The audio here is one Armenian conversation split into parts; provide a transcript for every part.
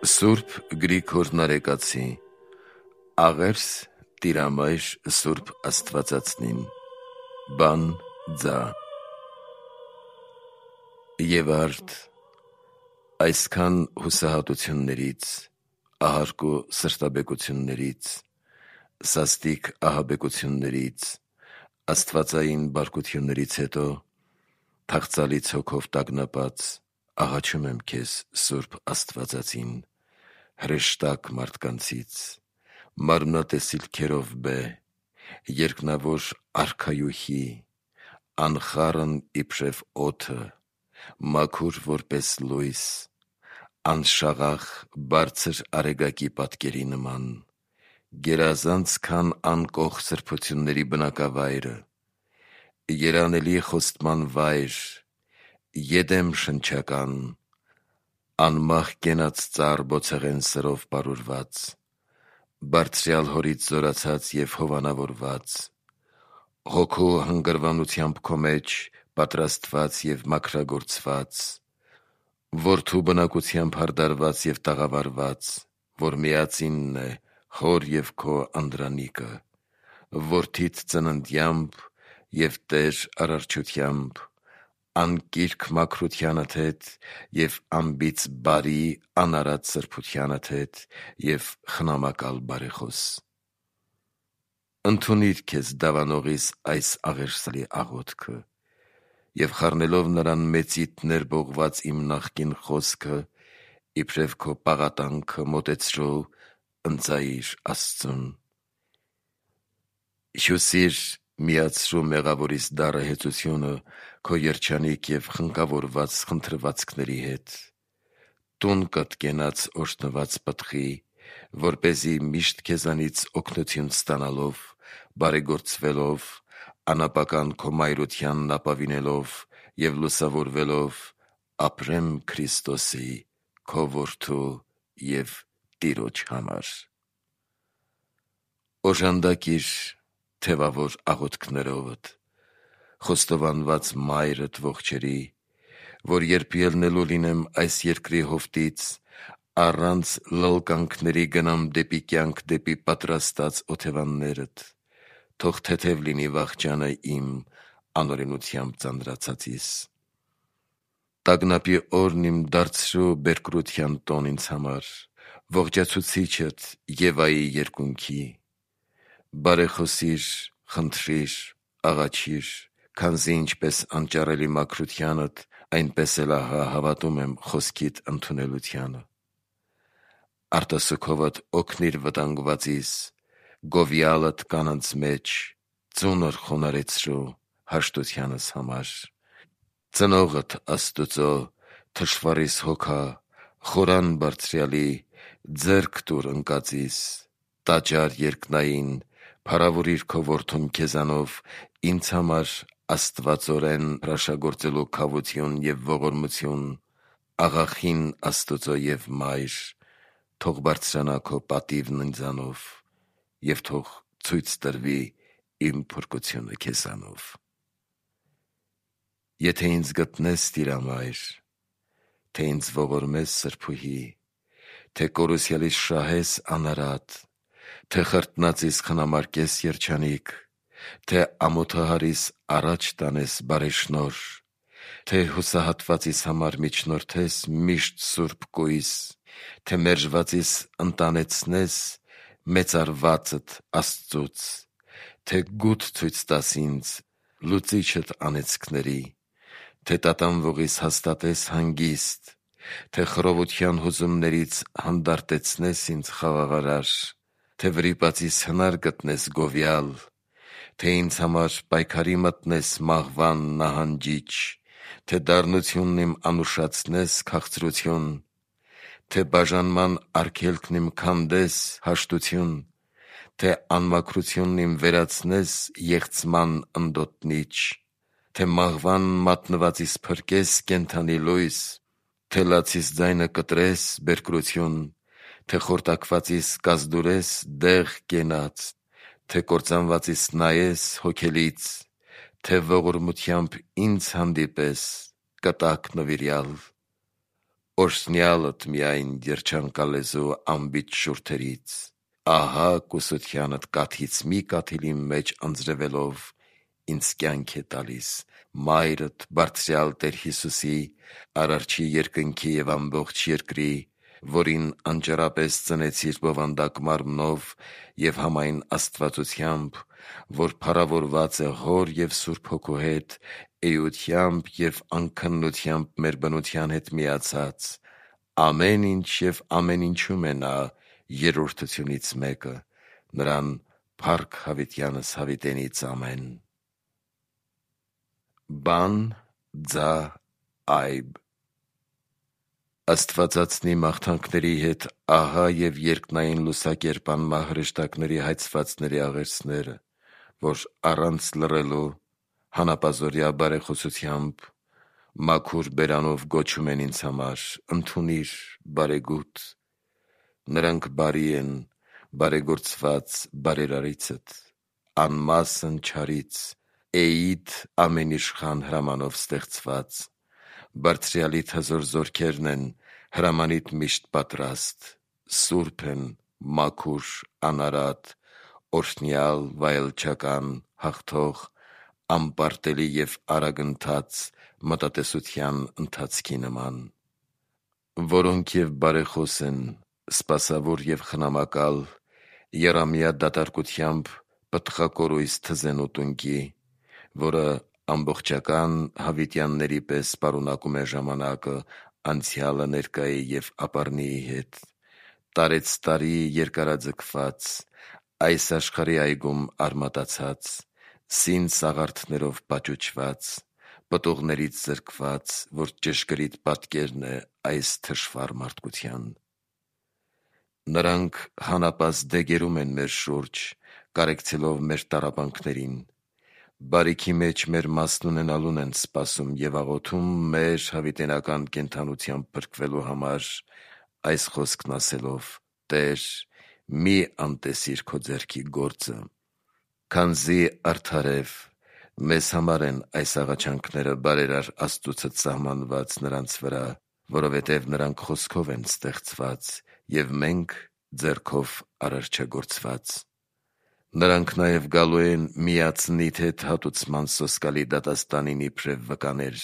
Սուրբ Գրիգոր Նարեկացի Աղերս տիրամայր Սուրբ Աստվածածնին Բան ձա Եվ արդ այսքան հուսահատություններից, ահարկու սրտաբեկություններից, սաստիկ ահաբեկություններից, աստվածային բարկություններից հետո թախծալից հոգով տագնապած աղաչում եմ քեզ Սուրբ Աստվածածին, հրեշտակ մարդկանցից, մարմնատեսիլ քերովբե, երկնավոր արքայուհի, անխառն իբրև օդը, մաքուր որպես լույս, անշաղախ բարձր արեգակի պատկերի նման, գերազանց քան անկող սրբությունների բնակավայրը, երանելի խոստման վայր, Եդեմ շնչական, անմահ կենաց ծառ բոցեղեն սրով պարուրված, բարձրյալ հորից զորացած և հովանավորված, հոգու հանգրվանությամբ քո մեջ պատրաստված և մաքրագործված, որդու բնակությամբ հարդարված և տաղավարված, որ միածինն է հոր և քո անդրանիկը, որդիդ ծննդյամբ և Տեր արարչությամբ, անկիրք մաքրությանդ հետ և անբիծ բարի անարատ սրբությանդ հետ և խնամակալ բարեխոս: Ընդունիր քեզ դավանողիս այս աղերսալի աղոթքը և խառնելով նրան մեծիդ ներբողված իմ նախկին խոսքը, իբրև քո պաղատանքը մոտեցրու ընծայիր Աստծուն: Հյուսիր միացրու մեղավորիս դառը հեծությունը քո երջանիկ և խնկավորված խնդրվածքների հետ, տուն կըդկենաց օրհնված պտղի, որպեսզի միշտ քեզանից օգնություն ստանալով, բարեգործվելով, անապական քո մայրությանն ապավինելով և լուսավորվելով, ապրեմ Քրիստոսի քո որդու և Տիրոջ համար: Օժանդակիր թևավոր աղոթքներովդ, խոստովանված մայրդ ողջերի, որ երբ ելնելու լինեմ այս երկրի հովտից, առանց լլկանքների գնամ դեպի կյանք դեպի պատրաստած օթևաններդ, թող թեթև լինի վախճանը իմ անօրենությամբ ծանրացածիս: Տագնապի օրն իմ դարձրու բերկրության տոն ինձ համար, ողջացուցիչդ Եվայի երկունքի: Բարեխոսիր, խնդրիր, աղաչիր, քանզի ինչպես անճարելի մաքրությանդ, այնպես էլ ահա հավատում եմ խոսքիդ ընդունելությանը: Արտասուքովդ օգնիր վտանգվածիս, գովյալդ կանանց մեջ, ծունր խոնարհեցրու հաշտությանս համար: Ծնողդ Աստուծո, թշվառիս հոգա, խորան Բարձրյալի, ձեռք տուր ընկածիս, տաճար երկնային, փառավորիր քո որդուն քեզանով, ինձ համար աստվածորեն հրաշագործելու քավություն և ողորմություն, աղախին Աստուծո և մայր, թող բարձրանա քո պատիվն ինձանով և թող ցույց տրվի իմ փրկությունը քեզանով: Եթե ինձ գտնես Տիրամայր, թե ինձ ողորմես Սրբուհի, թե կորուսյալիս շահես անարատ, թե խրտնածիս խնամարկես երջանիկ, թե ամոթահարիս առաջ տանես բարեշնորհ, թե հուսահատվածիս համար միջնորդես միշտ սուրբ կույս, թե մերժվածիս ընտանեցնես մեծարվածդ Աստծուց, թե գութ ցույց տաս ինձ, լուծիչդ անեծքների, թե տատանվողիս հաստատես հանգիստ, թե խռովության հուզումներից հանդարտեցնես ինձ խաղաղարար, թե վրիպածիս հնար գտնես գովյալ, թե ինձ համար պայքարի մտնես մահվան նահանջիչ, թե դառնությունն իմ անուշացնես քաղցրություն, թե բաժանման արգելքն իմ քանդես հաշտություն, թե անմաքրությունն իմ վերացնես եղցման ընդոտնիչ, թե մահվան մատնվածիս փրկես կենդանի լույս, թե լացիս ձայնը կտրես բերկրություն, թե խորտակվածիս կազդուրես դեղ կենաց, թե կործանվածիս նայես հոգելից, թե ողորմությամբ ինձ հանդիպես կտակ նվիրյալ: Օրհնյալդ միայն երջանկալեզու անբիծ շուրթերից, ահա կուսությանդ կաթից մի կաթիլի մեջ անձրևելով ինձ կյանք է տալիս, մայրդ բարձրյալ Տեր Հիսուսի, Արարչի երկնքի և ամբողջ երկրի, որին անճարապես ծնեցիր բովանդակ մարմնով և համայն աստվածությամբ, որ փառավորված է Հոր և Սուրբ Հոգու հետ, էությամբ և անքննությամբ մեր բնության հետ միացած, ամեն ինչ և ամեն ինչում է նա երրորդությունից մեկը, նրան փառք հավիտյանս հավիտենից ամեն։ Բան ձա այբ Աստվածածնի մաղթանքների հետ ահա և երկնային լուսակերպան մահրեշտակների հայցվածների աղերսները, որ առանց լռելու հանապազօրյա բարեխոսությամբ մաքուր բերանով գոչում են ինձ համար. ընդունիր, բարեգութ, նրանք բարի են, բարեգործված բարերարիցդ, անմասն չարից, էիդ ամենիշխան հրամանով ստեղծված, Բարձրյալիդ հզոր զորքերն են, հրամանիդ միշտ պատրաստ, սուրբ են, մաքուր, անարատ, օրհնյալ, վայելչական, հաղթող, անպարտելի և արագընթաց, մտատեսության ընթացքի նման, որոնք և բարեխոս են, սպասավոր և խնամակալ, եռամյա դատարկությամբ պտղակորույս թզեն ուտունքի, որը ամբողջական հավիտյանների պես պարունակում է ժամանակը, անցյալը, ներկայի և ապառնիի հետ, տարեցտարի երկարաձգված, այս աշխարհի այգում արմատացած, սին սաղարթներով պաճուճված, պտուղներից զրկված, որ ճշգրիտ պատկերն է այս թշվառ մարդկության։ Նրանք հանապազդ դեգերում են մեր շուրջ, կարեկցելով մեր տառապանքներին, բարիքի մեջ մեր մասն ունենալուն են սպասում և աղոթում մեր հավիտենական կենդանությամբ փրկվելու համար, այս խոսքն ասելով. «Տե՛ր, մի անտեսիր քո ձեռքի գործը»։ Քանզի արդարև մեզ համար են այս աղաչանքները բարերար Աստծուցդ սահմանված նրանց վրա, որովհետև նրանք խոսքով են ստեղծված, և մենք ձեռքով արարչագործված։ Նրանք նաև գալու են միածնիդ հետ հատուցման սոսկալի դատաստանին իբրև վկաներ,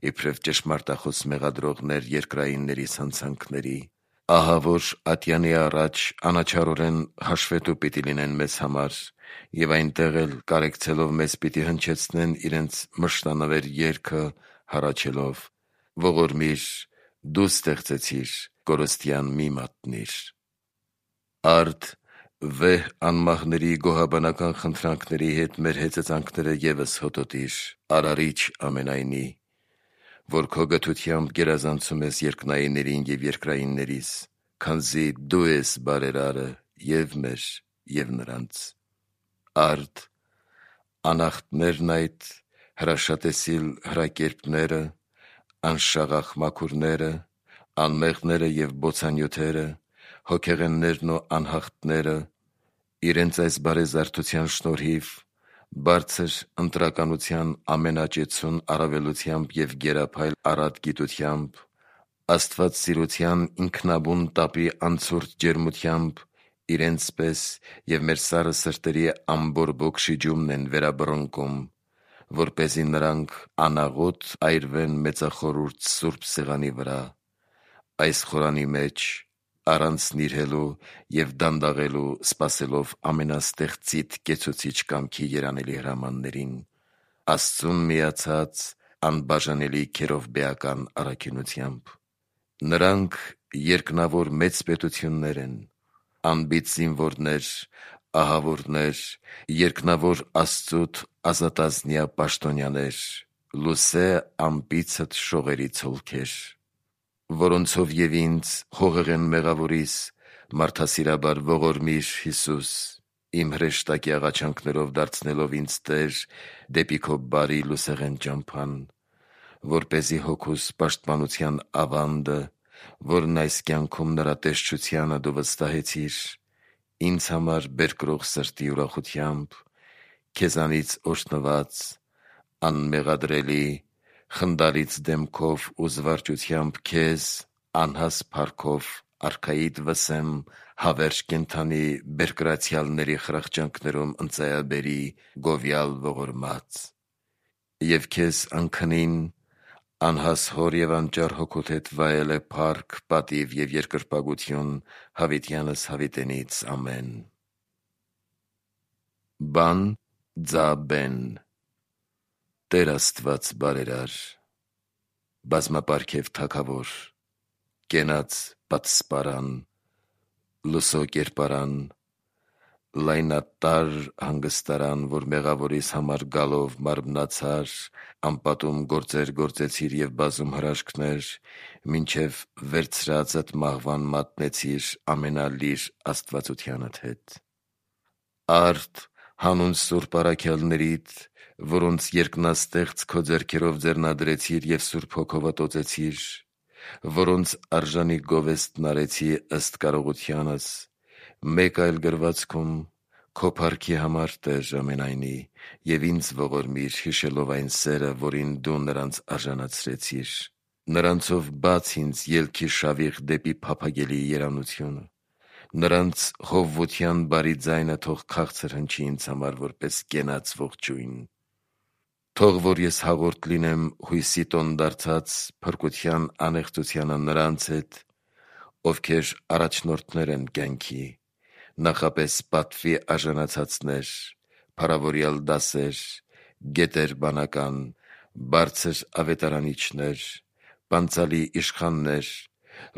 իբրև ճշմարտախոս մեղադրողներ երկրայինների սանցանքների, ահա որ ատյանի առաջ անաչառորեն հաշվետու պիտի լինեն մեզ համար, և այնտեղ էլ կարեկցելով մեզ պիտի հնչեցնեն իրենց մշտանվեր երգը հառաչելով. «Ողորմիր, դու ստեղծեցիր, կորստյան մի մատնիր»։ Արդ վեհ անմահների գոհաբանական խնդրանքների հետ մեր հեծածանքները ևս հոտոտիր, Արարիչ ամենայնի, որ քո գթությամբ գերազանցում ես երկնայիններին և երկրայիններիս, քանզի դու ես բարերարը և՛ մեր, և՛ նրանց։ Արդ անախտներն այդ, հրաշատեսիլ հրակերպները, անշաղախ մաքուրները, անմեղները և բոցանյութերը, հոգեղեններն ու անհաղթները, իրենց այս բարեզարդության շնորհիվ, բարձր ընտրականության ամենաճեցուն առավելությամբ և գերափայլ առատ գիտությամբ, աստվածասիրության ինքնաբուն տապի անցորդ ջերմությամբ իրենց պես և մեր սառը սրտերի ամբորբոք շիջումն են վերաբռնկում, որպեսզի նրանք անաղոտ այրվեն մեծախորհուրդ սուրբ սեղանի վրա, այս խորանի մեջ, առանց նիրհելու և դանդաղելու սպասելով ամենաստեղծիդ կեցուցիչ կամքի երանելի հրամաններին, Աստծուն միացած անբաժանելի քերովբեական առաքինությամբ։ Նրանք երկնավոր մեծ պետություններ են, անբիծ զինվորներ, ահավորներ, երկնավոր Աստծուդ ազատազնյա պաշտոնյաներ, լուսե անպիցդ շողերի ցոլքեր, որոնցով և ինձ, հողեղեն մեղավորիս, մարդասիրաբար ողորմիր, Հիսուս, իմ հրեշտակի աղաչանքներով դարձնելով ինձ Տեր դեպի քո բարի լուսեղեն ճամփան, որպեսզի հոգուս պաշտպանության ավանդը, որն այս կյանքում նրա տեսչությանը դու վստահեցիր, ինձ համար բերկրող սրտի ուրախությամբ, քեզանից օրհնված, անմեղադրելի, խնդալից դեմքով ու զվարճությամբ քեզ, անհաս փառքով արքայիդ վսեմ հավերժ կենդանի բերկրացյալների խրախճանքներում ընծայաբերի գովյալ ողորմած, և քեզ անքնին անհաս հոր և անճար հոգուդ հետ վայել է փառք, պատիվ և երկրպագություն հավիտյանս հավիտենից ամեն։ Բան ձա բեն Տեր Աստված բարերար, բազմապարգև թագավոր, կենաց պատսպարան, լուսո կերպարան, լայնատար հանգստարան, որ մեղավորիս համար գալով մարմնացար, անպատում գործեր գործեցիր և բազում հրաշքներ, մինչև վերցրածդ մահվան մատնեցիր ամենալիր աստվածությանդ հետ։ Արդ հանուն սուրբ առաքյալներիդ, որոնց երկնաստեղծ քո ձեռքերով ձեռնադրեցիր և Սուրբ Հոգով ատոծեցիր, որոնց արժանի գովեստն արեցի ըստ կարողությանս, մեկ այլ գրվածքում քո փառքի համար, Տեր ամենայնի, և ինձ ողորմիր հիշելով այն սերը, որին դու նրանց արժանացրեցիր։ Նրանցով բաց ինձ ելքի շավիղ դեպի փափագելի երանությունը, նրանց հովվության բարի ձայնը թող քաղցր հնչի ինձ համար որպես կենաց ողջույն։ Թող որ ես հաղորդ լինեմ հույսի տոն դարձած փրկության անեղծությանը նրանց հետ, ովքեր առաջնորդներ են կյանքի, նախապես պատվի արժանացածներ, փառավորյալ դասեր, գետեր բանական, բարձր ավետարանիչներ, պանծալի իշխաններ,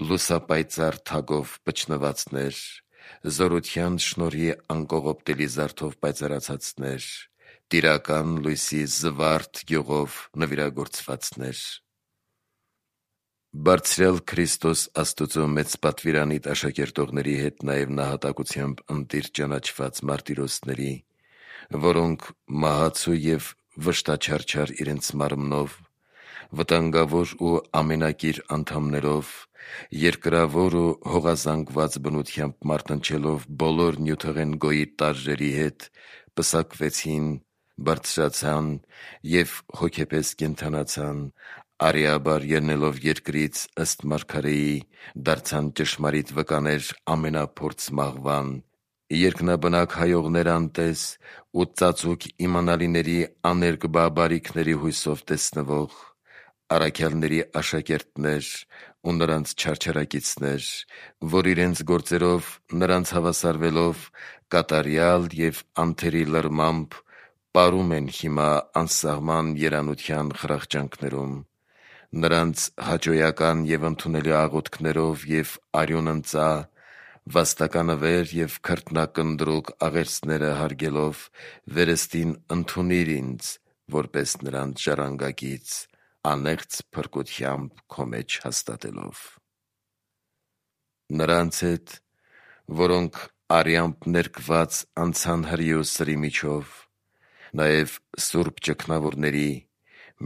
լուսապայծառ թագով պչնվածներ, զորության շնորհի անկողոպտելի զարդով պայծառացածներ, տիրական լույսի զվարթ գյուղով նվիրագործվածներ։ Բարձրյալ Քրիստոս Աստուծո մեծ պատվիրանիդ աշակերտողների հետ նաև նահատակությամբ ընտիր ճանաչված մարտիրոսների, որոնք մահացու և վշտաչարչար իրենց մարմնով, վտանգավոր ու ամենակիր անդամներով, երկրավոր ու հողազանգված բնությամբ մարտնչելով բոլոր նյութեղեն գոյի տարրերի հետ, պսակվեցին, բարձրացան և հոգեպես կենդանացան, արիաբար ելնելով երկրից ըստ մարգարեի, դարձան ճշմարիտ վկաներ ամենափորձ մահվան, երկնաբնակ հայողներ անտես ու ծածուկ իմանալիների աներկբա բարիքների հույսով տեսնվող, առաքյալների աշակերտներ ու նրանց չարչարակիցներ, որ իրենց գործերով նրանց հավասարվելով կատարյալ և անթերի լրմամբ պարում են հիմա անսահման երանության խրախճանքներում, նրանց հաճոյական և ընդունելի աղոթքներով և արյունընծա, վաստականավեր և քրտնակնդրուկ աղերսները հարգելով վերստին ընդունիր ինձ, որպես նրանց ժառանգագիծ, անեղծ փրկությամբ քո մեջ հաստատելով։ Նրանց հետ, որոնք արյամբ ներկված անցան հրի ու սրի միջով, նաև սուրբ ճգնավորների,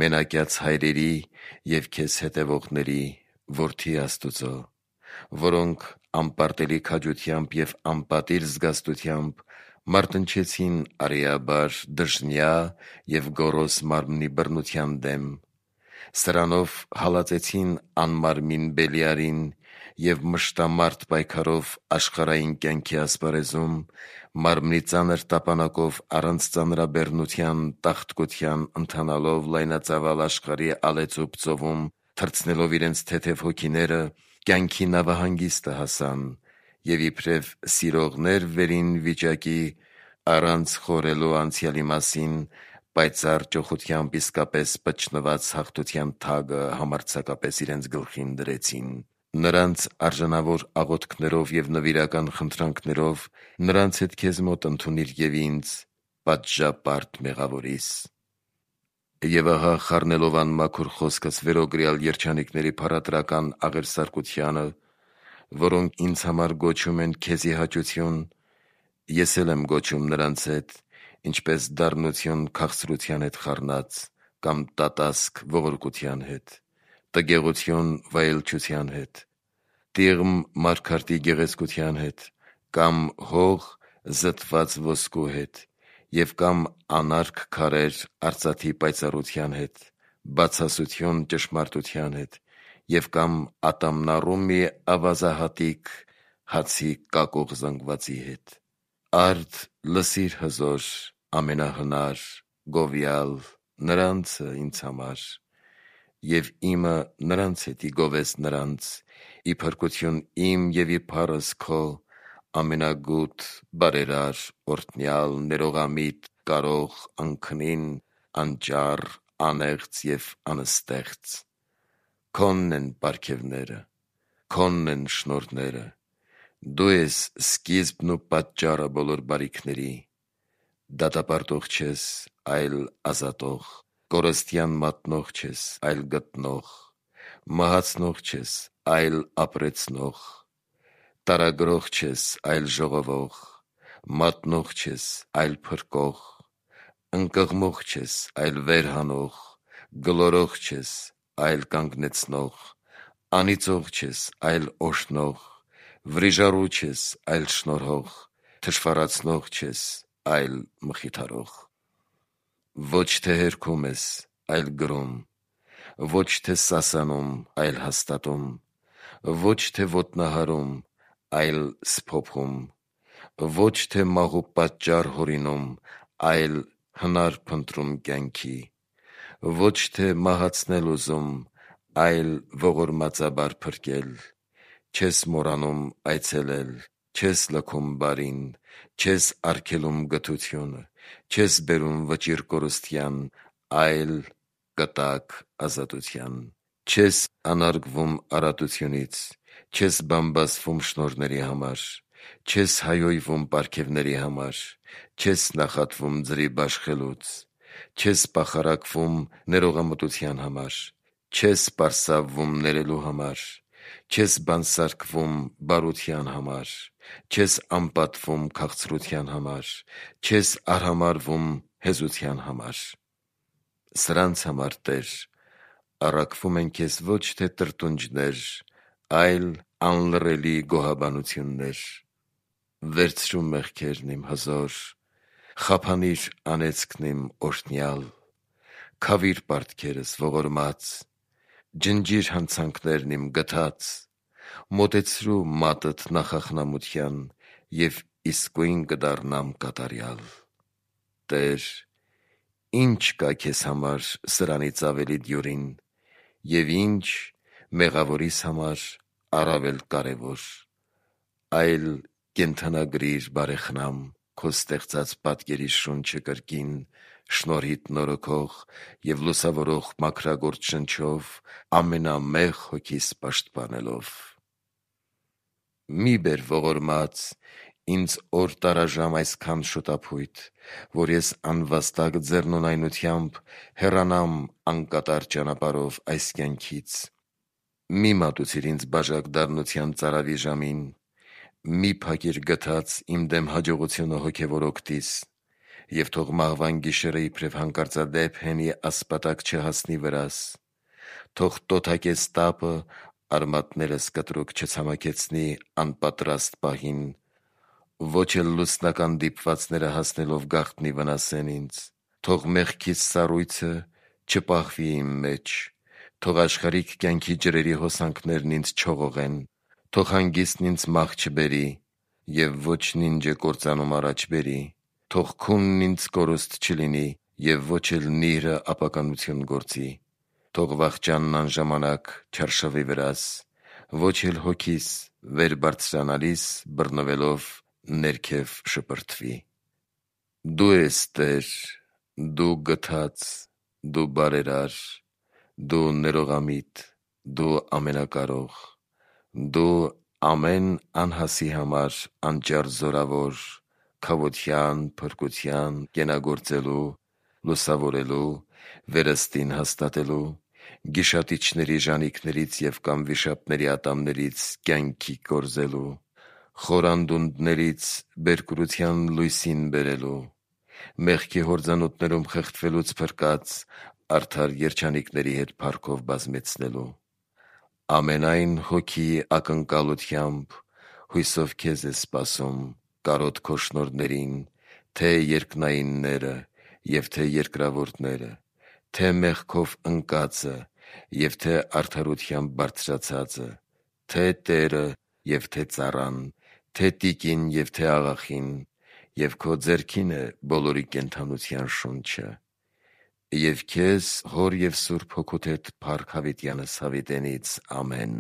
մենակյաց հայրերի և քեզ հետևողների, որդի Աստուծո, որոնք անպարտելի քաջությամբ և անպատիժ զգաստությամբ մարտնչեցին արիաբար դժնյա և գոռոզ մարմնի բռնության դեմ, սրանով հալածեցին անմարմին Բելիարին և մշտամարդ պայքարով աշխարհային կյանքի ասպարեզում, մարմնի ծանր տապանակով առանց ծանրաբեռնության տաղտկության ընթանալով լայնածավալ աշխարհի ալեցուբ ծովում, թռցնելով իրենց թեթև հոգիները, կյանքի նավահանգիստը հասան և իբրև սիրողներ վերին վիճակի, առանց խորհելու անցյալի մասին, պայծառ ճոխությամբ իսկապես պչնված հաղթության թագը համարձակապես իրենց գլխին դրեցին։ Նրանց արժանավոր աղոթքներով և նվիրական խնդրանքներով նրանց հետ քեզ մոտ ընդունիր և ինձ, պատժապարտ մեղավորիս։ Եվ ահա խառնելով անմաքուր խոսքս վերոգրյալ երջանիկների փառատրական աղերսարկությանը, որոնք ինձ համար գոչում են քեզի հաճություն, ես էլ եմ գոչում նրանց հետ, ինչպես դառնություն քաղցրության հետ խառնած, կամ տատասկ ողորկության հետ, տգեղություն վայելչության հետ, տիղմ մարգարտի գեղեցկության հետ, կամ հող զտված ոսկու հետ, և կամ անարգ քարեր արծաթի պայծառության հետ, բացասություն ճշմարտության հետ, եւ կամ ատամնառում մի ավազահատիկ հացի կակող զանգվածի հետ։ Արդ լսիր հզոր ամենահնար գովյալ նրանցը ինձ համար, եւ իմը նրանց հետի գովես նրանց, ի փրկություն իմ եւ ի փառս քո ամենագութ բարերար օրհնյալ ներողամիտ կարող անքնին անճառ անեղծ եւ անստեղծ։ Քոնն են պարգևները, քոնն են շնորհները, դու ես սկիզբն ու պատճառը բոլոր բարիքների, դատապարտող չես, այլ ազատող, կորստյան մատնող չես, այլ գտնող, մահացնող չես, այլ ապրեցնող, տարագրող չես, այլ ժողովող, մատնող չես, այլ փրկող, ընկղմող չես, այլ վերհանող, գլորող չես, այլ կանգնեցնող, անիծող չես, այլ օրհնող, վրիժառու չես, այլ շնորհող, թշվառացնող չես, այլ մխիթարող։ Ոչ թե հերքում ես, այլ գրում, ոչ թե սասանում, այլ հաստատում, ոչ թե ոտնահարում, այլ սփոփում, ոչ թե մահու պատճառ հորինում, այլ հնար փնտրում կյանքի, ոչ թե մահացնել ուզում, այլ ողորմածաբար փրկել, չես մոռանում այցելել, չես լքում բարին, չես արգելում գթությունը, չես բերում վճիռ կորստյան, այլ կտակ ազատության, չես անարգվում արատությունից, չես բամբասվում շնորհների համար, չես հայոյվում պարգևների համար, չես նախատվում ձրի բաշխելուց, չես պախարակվում ներողամտության համար, չես պարսավվում ներելու համար, չես բանսարկվում բարության համար, չես անպատվում քաղցրության համար, չես արհամարհվում հեզության համար։ Սրանց համար, Տեր, առաքվում են քեզ ոչ թե տրտունջներ, այլ անլռելի գոհաբանություններ։ Վերցրու մեղքերն իմ հզոր, խափանիր անեծքն իմ օրհնյալ, քավիր պարտքերս ողորմած, ջնջիր հանցանքներն իմ գթած, մոտեցրու մատդ նախախնամության եւ իսկույն կդառնամ կատարյալ։ Տեր, ինչ կա քեզ համար սրանից ավելի դյուրին, եւ ինչ մեղավորիս համար առավել կարեւոր, այլ կենդանագրիր բարեխնամ քո ստեղծած պատկերի շունչը կրկին շնորհիդ նորոգող եւ լուսավորող մաքրագործ շնչով ամենամեղ հոգիս պաշտպանելով։ Մի բեր ողորմած ինձ օր տարաժամ այսքան շուտափույթ, որ ես անվաստակ ձեռնունայնությամբ հեռանամ անկատար ճանապարհով այս կյանքից։ Մի մատուցիր ինձ բաժակ դառնության ծարավի ժամին, մի փակիր գթած իմ դեմ հաջողությունը հոգևոր օգտիս, եւ թող մահվան գիշերը իբրև հանկարծադեպ հենի ասպատակ չհասնի վրաս, թող տոթակես տապը արմատներս կտրուկ չցամաքեցնի անպատրաստ պահին, ոչ էլ լուսնական դիպվածները հասնելով գաղտնի վնասեն ինձ, թող մեղքից սառույցը չպահվի իմ մեջ, թող աշխարհիկ կյանքի ջրերի հոսանքներն ինձ չողողեն, թող հանգիստն ինձ մահ չբերի եւ ոչ նինջը կործանում առաջ բերի, թող քունն ինձ կորուստ չլինի եւ ոչ էլ նիրհը ապականություն գործի, թող վախճանն անժամանակ չարշավի վրաս, ոչ էլ հոգիս վեր բարձրանալիս բռնվելով ներքև շպրտվի։ Դու ես Տեր, դու գթած, դու բարերար, դու ներողամիտ, դու ամենակարող, դու ամեն անհասի համար անճար զորավոր, քավության, փրկության, կենագործելու, լուսավորելու, վերստին հաստատելու, գիշատիչների ժանիքներից եւ կամ վիշապների ատամներից կյանքի կորզելու, խորանդունդներից բերկրության լույսին բերելու, մեղքի հորձանուտներում խեղդվելուց փրկած արդար երջանիկների հետ փառքով բազմեցնելու, ամենայն հոգի ակնկալությամբ հույսով քեզ է սպասում, կարոտ քո շնորհներին, թե երկնայինները եւ թե երկրավորները, թե մեղքով ընկածը եւ թե արդարությամբ բարձրացածը, թե Տերը եւ թե ծառան, թե տիկին եւ թե աղախին, եւ քո ձեռքին է բոլորի կենդանության շունչը։ Եվ քեզ, Հոր եւ Սուրբ Հոգուդ հետ փառք Հավիտյանս հավիտենից։ Ամեն։